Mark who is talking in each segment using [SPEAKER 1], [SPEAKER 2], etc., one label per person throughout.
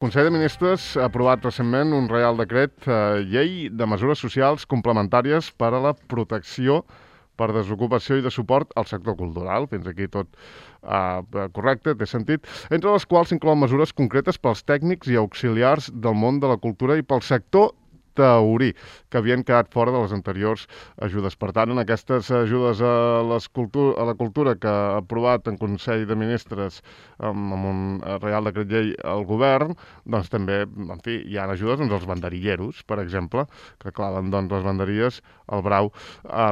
[SPEAKER 1] Consell de Ministres ha aprovat recentment un Reial Decret llei de mesures socials complementàries per a la protecció per desocupació i de suport al sector cultural. Fins aquí tot correcte, té sentit. Entre les quals s'inclouen mesures concretes pels tècnics i auxiliars del món de la cultura i pel sector taurí, que havien quedat fora de les anteriors ajudes. Per tant, en aquestes ajudes a la cultura que ha aprovat en Consell de Ministres amb un Reial Decret Llei al govern, doncs també, en fi, hi ha ajudes als banderilleros, per exemple, que claven les banderies al brau. Ha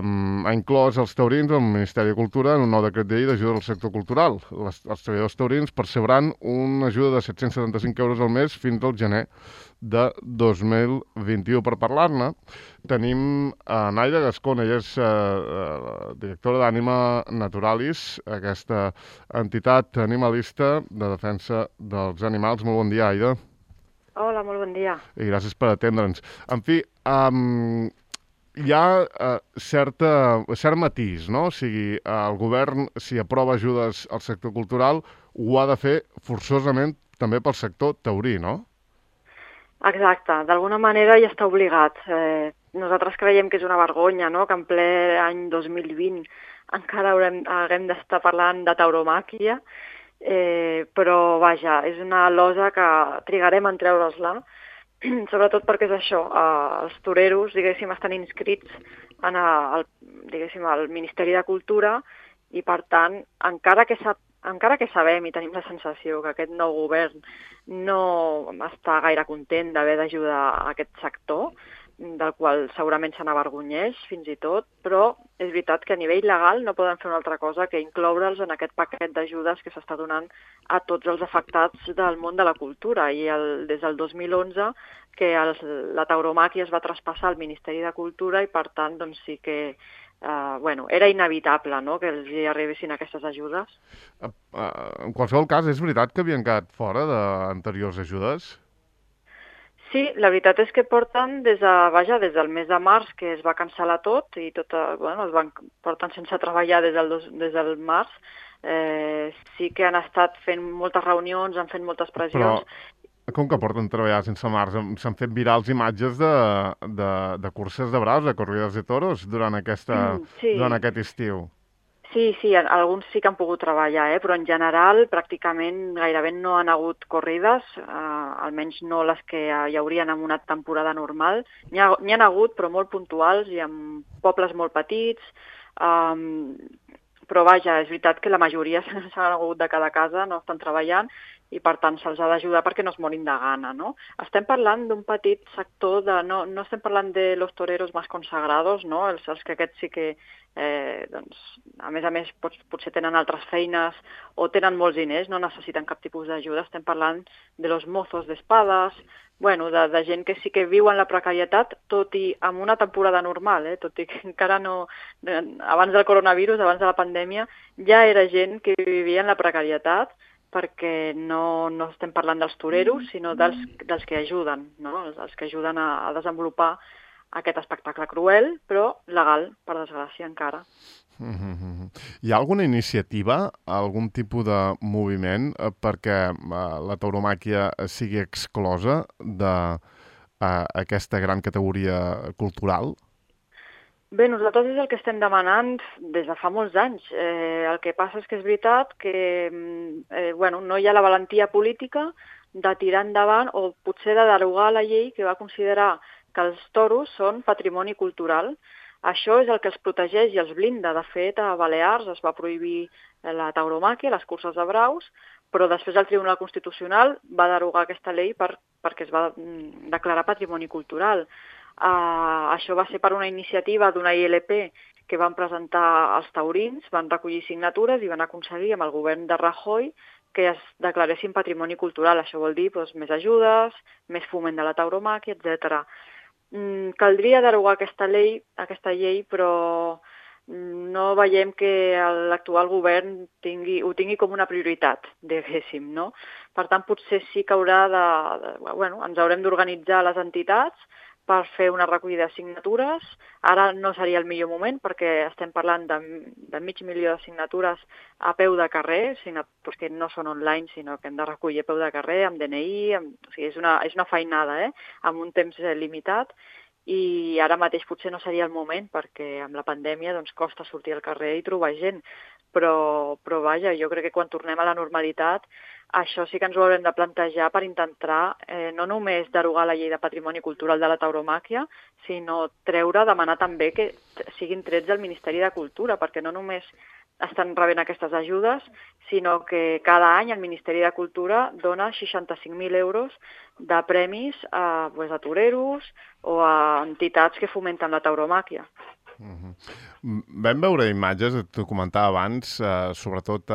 [SPEAKER 1] inclòs els taurins al Ministeri de Cultura en un nou decret llei d'ajuda al sector cultural. Els treballadors taurins percebran una ajuda de 775 euros al mes fins al gener de 2021. Per parlar-ne, tenim Naida Gascón, ella és directora d'Ànima Naturalis, aquesta entitat animalista de defensa dels animals. Molt bon dia, Aida.
[SPEAKER 2] Hola, molt bon dia.
[SPEAKER 1] I gràcies per atendre'ns. En fi, hi ha cert matís, no? O sigui, el govern, si aprova ajudes al sector cultural, ho ha de fer forçosament també pel sector taurí, no?
[SPEAKER 2] Exacte, d'alguna manera ja està obligat. Nosaltres creiem que és una vergonya, no?, que en ple any 2020 encara haguem d'estar parlant de tauromàquia, però vaja, és una losa que trigarem en treure-la, sobretot perquè és això, els toreros, diguéssim, estan inscrits en el Ministeri de Cultura i, per tant, encara que sabem i tenim la sensació que aquest nou govern no està gaire content d'haver d'ajudar a aquest sector, del qual segurament se n'avergonyeix fins i tot, però és veritat que a nivell legal no poden fer una altra cosa que incloure'ls en aquest paquet d'ajudes que s'està donant a tots els afectats del món de la cultura. I des del 2011 que la tauromàquia es va traspassar al Ministeri de Cultura i, per tant, doncs sí que era inevitable, no?, que els hi arribessin aquestes ajudes.
[SPEAKER 1] En qualsevol cas, és veritat que havien quedat fora d'anteriors ajudes?
[SPEAKER 2] Sí, la veritat és que porten des del mes de març, que es va cancel·lar tot i porten sense treballar des del març. Sí que han estat fent moltes reunions, han fet moltes pressions.
[SPEAKER 1] Però com que porten treballar sense març? S'han fet virals imatges de curses de braus, de corrides de toros, durant aquest estiu.
[SPEAKER 2] Sí, alguns sí que han pogut treballar, però en general pràcticament gairebé no han hagut corrides, almenys no les que hi haurien en una temporada normal. N'hi ha hagut, però molt puntuals i en pobles molt petits, però vaja, és veritat que la majoria s'han hagut de quedar a casa, no estan treballant, i per tant se'ls ha d'ajudar perquè no es morin de gana, no? Estem parlant d'un petit sector no estem parlant de los toreros más consagrados, no? Els que aquests sí que, a més, potser tenen altres feines o tenen molts diners, no necessiten cap tipus d'ajuda. Estem parlant de los mozos d'espades, de gent que sí que viu en la precarietat, tot i amb una temporada normal, tot i que encara no, abans del coronavirus, abans de la pandèmia, ja era gent que vivia en la precarietat, perquè no estem parlant dels toreros, sinó dels que ajuden, no? Els que ajuden a desenvolupar aquest espectacle cruel, però legal, per desgràcia, encara.
[SPEAKER 1] Hi ha alguna iniciativa, algun tipus de moviment perquè la tauromàquia sigui exclosa d'aquesta gran categoria cultural?
[SPEAKER 2] Bé, nosaltres és el que estem demanant des de fa molts anys. El que passa és que és veritat que no hi ha la valentia política de tirar endavant o potser de derogar la llei que va considerar que els toros són patrimoni cultural. Això és el que els protegeix i els blinda. De fet, a Balears es va prohibir la tauromàquia, les curses de braus, però després el Tribunal Constitucional va derogar aquesta llei perquè es va declarar patrimoni cultural. Això va ser per una iniciativa d'una ILP que van presentar els taurins, van recollir signatures i van aconseguir amb el govern de Rajoy que es declaressin patrimoni cultural. Això vol dir més ajudes, més foment de la tauromàquia, etc. Caldria derogar aquesta llei, però no veiem que l'actual govern ho tingui com una prioritat, diguéssim, no? Per tant, potser sí que ens haurem d'organitzar les entitats per fer una recollida de signatures. Ara no seria el millor moment perquè estem parlant de 500.000 de signatures a peu de carrer, signatures que no són online, sinó que hem de recollir a peu de carrer, amb DNI, o sigui, és una feinada, amb un temps limitat, i ara mateix potser no seria el moment perquè amb la pandèmia doncs, costa sortir al carrer i trobar gent, però vaja, jo crec que quan tornem a la normalitat això sí que ens ho haurem de plantejar per intentar no només derogar la llei de patrimoni cultural de la tauromàquia, sinó demanar també que siguin trets del Ministeri de Cultura, perquè no només estan rebent aquestes ajudes, sinó que cada any el Ministeri de Cultura dona 65.000 euros de premis a toreros o a entitats que fomenten la tauromàquia.
[SPEAKER 1] Vam veure imatges, t'ho comentava abans, sobretot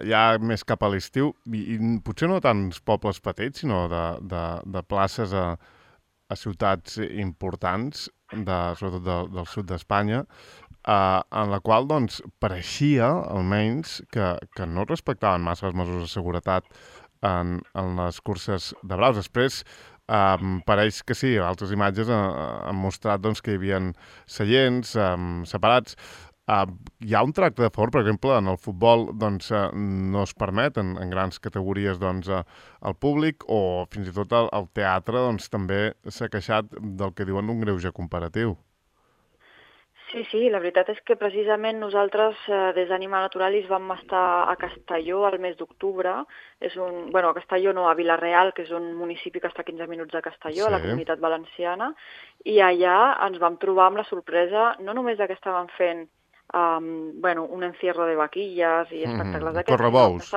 [SPEAKER 1] ja més cap a l'estiu, i potser no tants pobles petits, sinó de places a ciutats importants, sobretot del sud d'Espanya, en la qual doncs, pareixia, almenys, que no respectaven massa les mesures de seguretat en les curses de braus. Després, pareix que sí, altres imatges han mostrat doncs, que hi havia seients separats. Hi ha un tracte de favor, per exemple, en el futbol doncs, no es permet en grans categories doncs, al públic, o fins i tot el teatre doncs, també s'ha queixat del que diuen un greuge comparatiu.
[SPEAKER 2] Sí, la veritat és que precisament nosaltres des d'Ànima Naturalis vam estar a Castelló el mes d'octubre. A Castelló no, a Vila-real, que és un municipi que està a 15 minuts de Castelló, sí, a la Comunitat Valenciana, i allà ens vam trobar amb la sorpresa no només que estaven fent un encierro de vaquilles i espectacles d'aquests.
[SPEAKER 1] Correbous.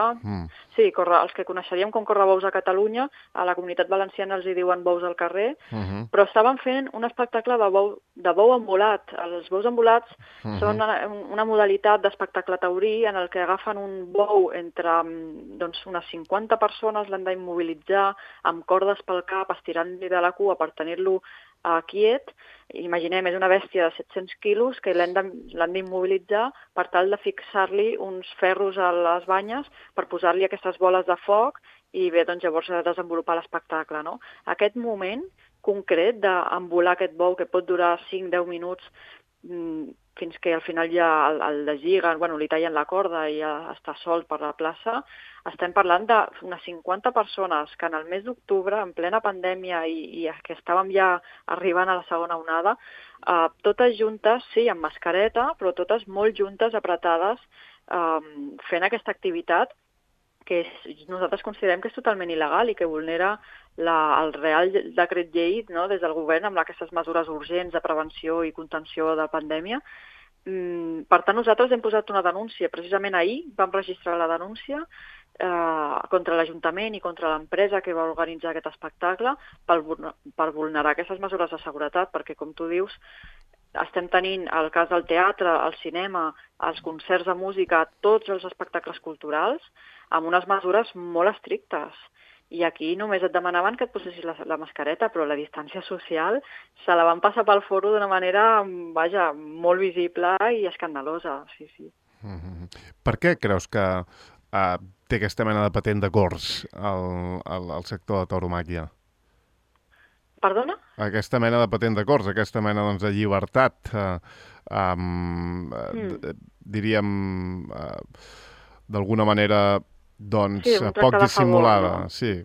[SPEAKER 2] Sí, els que coneixeríem com correbous a Catalunya, a la Comunitat Valenciana els hi diuen bous al carrer, però estaven fent un espectacle de bou embolat. Els bous embolats són una modalitat d'espectacle taurí en el que agafen un bou entre unes 50 persones, l'han d'immobilitzar amb cordes pel cap, estirant-li de la cua per tenir-lo quiet. Imaginem, és una bèstia de 700 quilos que l'han d'immobilitzar per tal de fixar-li uns ferros a les banyes per posar-li aquestes boles de foc i bé, doncs llavors desenvolupar l'espectacle, no? Aquest moment concret d'embolar aquest bou que pot durar 5-10 minuts fins que al final ja el deslliguen, li tallen la corda i ja està sol per la plaça. Estem parlant d'unes 50 persones que en el mes d'octubre, en plena pandèmia i que estàvem ja arribant a la segona onada, totes juntes, sí, amb mascareta, però totes molt juntes, apretades, fent aquesta activitat que nosaltres considerem que és totalment il·legal i que vulnera el Real Decret Llei, no, des del govern amb aquestes mesures urgents de prevenció i contenció de la pandèmia. Per tant, nosaltres hem posat una denúncia. Precisament ahir vam registrar la denúncia contra l'Ajuntament i contra l'empresa que va organitzar aquest espectacle per vulnerar aquestes mesures de seguretat, perquè, com tu dius, estem tenint el cas del teatre, el cinema, els concerts de música, tots els espectacles culturals, amb unes mesures molt estrictes. I aquí només et demanaven que et posessis la mascareta, però la distància social se la van passar pel foro d'una manera, molt visible i escandalosa, sí.
[SPEAKER 1] Per què creus que té aquesta mena de patent de cors al sector de tauromàquia?
[SPEAKER 2] Perdona?
[SPEAKER 1] Aquesta mena de patent de cors, aquesta mena de llibertat, diríem, d'alguna manera, poc dissimulada.
[SPEAKER 2] Favor, no? Sí.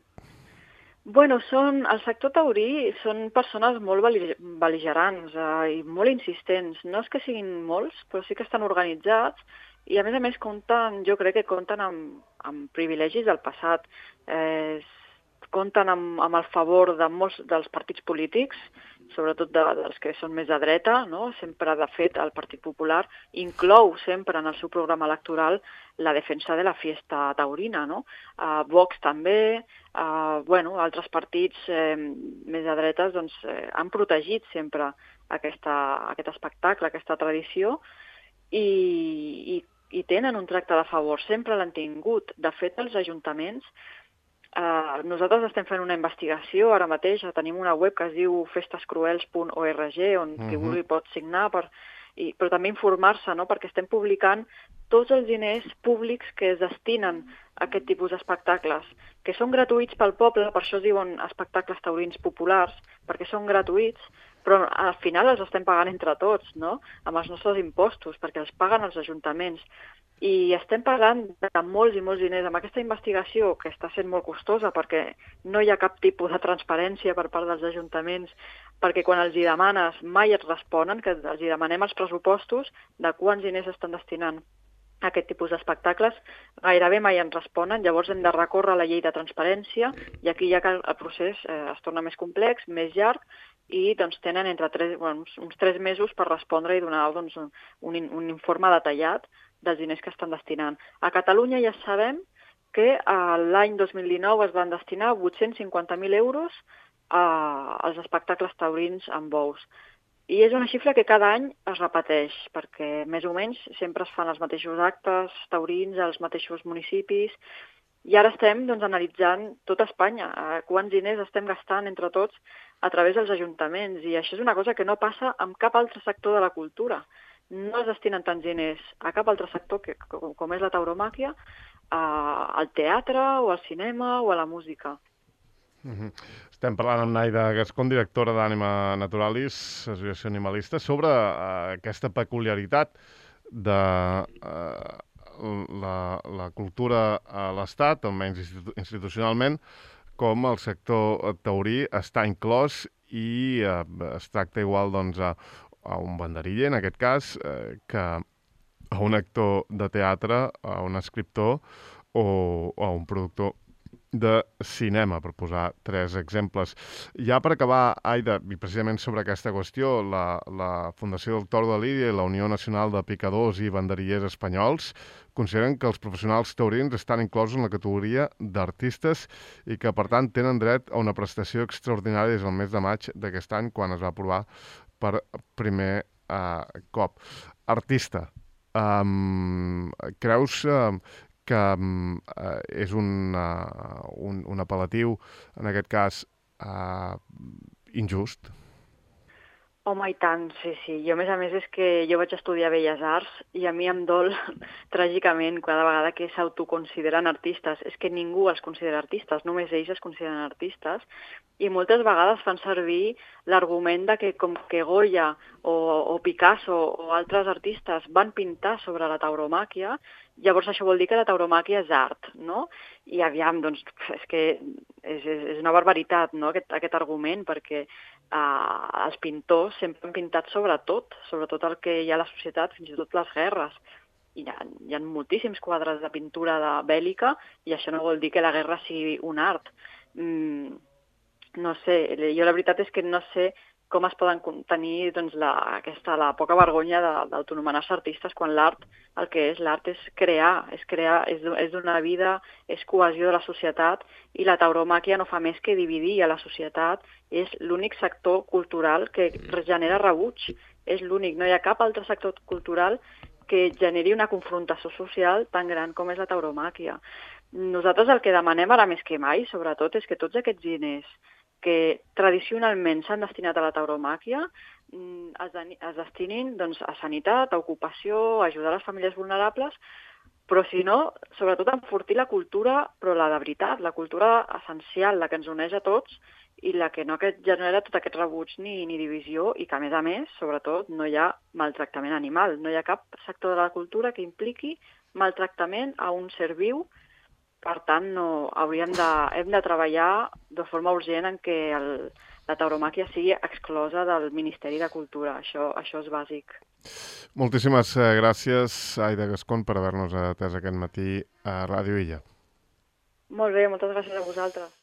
[SPEAKER 2] El sector taurí són persones molt bel·ligerants i molt insistents. No és que siguin molts, però sí que estan organitzats i, a més, jo crec que compten amb privilegis del passat. Compten amb el favor de molts dels partits polítics, sobretot dels que són més de dreta, no? Sempre, de fet, el Partit Popular inclou sempre en el seu programa electoral la defensa de la fiesta taurina, no? Vox també, altres partits més de dretes han protegit sempre aquest espectacle, aquesta tradició, i tenen un tracte de favor, sempre l'han tingut. De fet, els ajuntaments, nosaltres estem fent una investigació ara mateix, tenim una web que es diu festescruels.org, on qui vulgui pot signar però també informar-se, no? Perquè estem publicant tots els diners públics que es destinen a aquest tipus d'espectacles, que són gratuïts pel poble, per això es diuen espectacles taurins populars, perquè són gratuïts, però al final els estem pagant entre tots, no? Amb els nostres impostos, perquè els paguen els ajuntaments. I estem parlant de molts i molts diners. Amb aquesta investigació, que està sent molt costosa perquè no hi ha cap tipus de transparència per part dels ajuntaments, perquè quan els hi demanes mai et responen, que els hi demanem els pressupostos de quants diners estan destinant a aquest tipus d'espectacles, gairebé mai ens responen, llavors hem de recórrer a la llei de transparència i aquí ja que el procés es torna més complex, més llarg, i doncs, tenen uns 3 mesos per respondre i donar doncs, un informe detallat dels diners que estan destinant. A Catalunya ja sabem que l'any 2019 es van destinar 850.000 euros als espectacles taurins amb bous. I és una xifra que cada any es repeteix, perquè més o menys sempre es fan els mateixos actes taurins als mateixos municipis, i ara estem doncs, analitzant tota Espanya, quants diners estem gastant entre tots a través dels ajuntaments, i això és una cosa que no passa amb cap altre sector de la cultura. No es destinen tants diners a cap altre sector com és la tauromàquia, al teatre o al cinema o a la música.
[SPEAKER 1] Estem parlant amb Naida Gascón, directora d'Ànima Naturalis, Associació Animalista, sobre aquesta peculiaritat de la cultura a l'Estat, almenys institucionalment, com el sector taurí està inclòs i es tracta igual doncs, a un banderiller, en aquest cas, que a un actor de teatre, a un escriptor o a un productor de cinema, per posar 3 exemples. Ja per acabar, Aida, i precisament sobre aquesta qüestió, la Fundació del Toro de Lídia i la Unió Nacional de Picadors i Banderillers Espanyols consideren que els professionals taurins estan inclosos en la categoria d'artistes i que, per tant, tenen dret a una prestació extraordinària des del mes de maig d'aquest any, quan es va aprovar per primer cop. Artista, creus que és un apel·latiu, en aquest cas, injust?
[SPEAKER 2] Home, i tant, sí, sí. Jo, a més, és que jo vaig estudiar Belles Arts i a mi em dol tràgicament cada vegada que s'autoconsideren artistes. És que ningú els considera artistes, només ells es consideren artistes, i moltes vegades fan servir l'argument de que com que Goya o Picasso o altres artistes van pintar sobre la tauromàquia, llavors això vol dir que la tauromàquia és art, no? I aviam, doncs, és que és una barbaritat, no?, aquest argument, perquè els pintors sempre han pintat sobretot el que hi ha a la societat, fins i tot les guerres. Hi ha moltíssims quadres de pintura bèl·lica i això no vol dir que la guerra sigui un art. No sé, jo la veritat és que no sé com es poden tenir doncs, la poca vergonya d'autonomenar-se artistes quan l'art, el que és l'art és crear, és donar vida, és cohesió de la societat, i la tauromàquia no fa més que dividir a la societat. És l'únic sector cultural que genera rebuig, és l'únic, no hi ha cap altre sector cultural que generi una confrontació social tan gran com és la tauromàquia. Nosaltres el que demanem ara més que mai, sobretot, és que tots aquests diners que tradicionalment s'han destinat a la tauromàquia es destinin doncs, a sanitat, a ocupació, a ajudar les famílies vulnerables, però si no, sobretot a enfortir la cultura, però la de veritat, la cultura essencial, la que ens uneix a tots i la que no genera tot aquest rebuig ni divisió, i que a més, sobretot, no hi ha maltractament animal. No hi ha cap sector de la cultura que impliqui maltractament a un ser viu. Per tant, hem de treballar de forma urgent en què la tauromàquia sigui exclosa del Ministeri de Cultura. Això és bàsic.
[SPEAKER 1] Moltíssimes gràcies, Aida Gascón, per haver-nos atès aquest matí a Ràdio Illa.
[SPEAKER 2] Molt bé, moltes gràcies a vosaltres.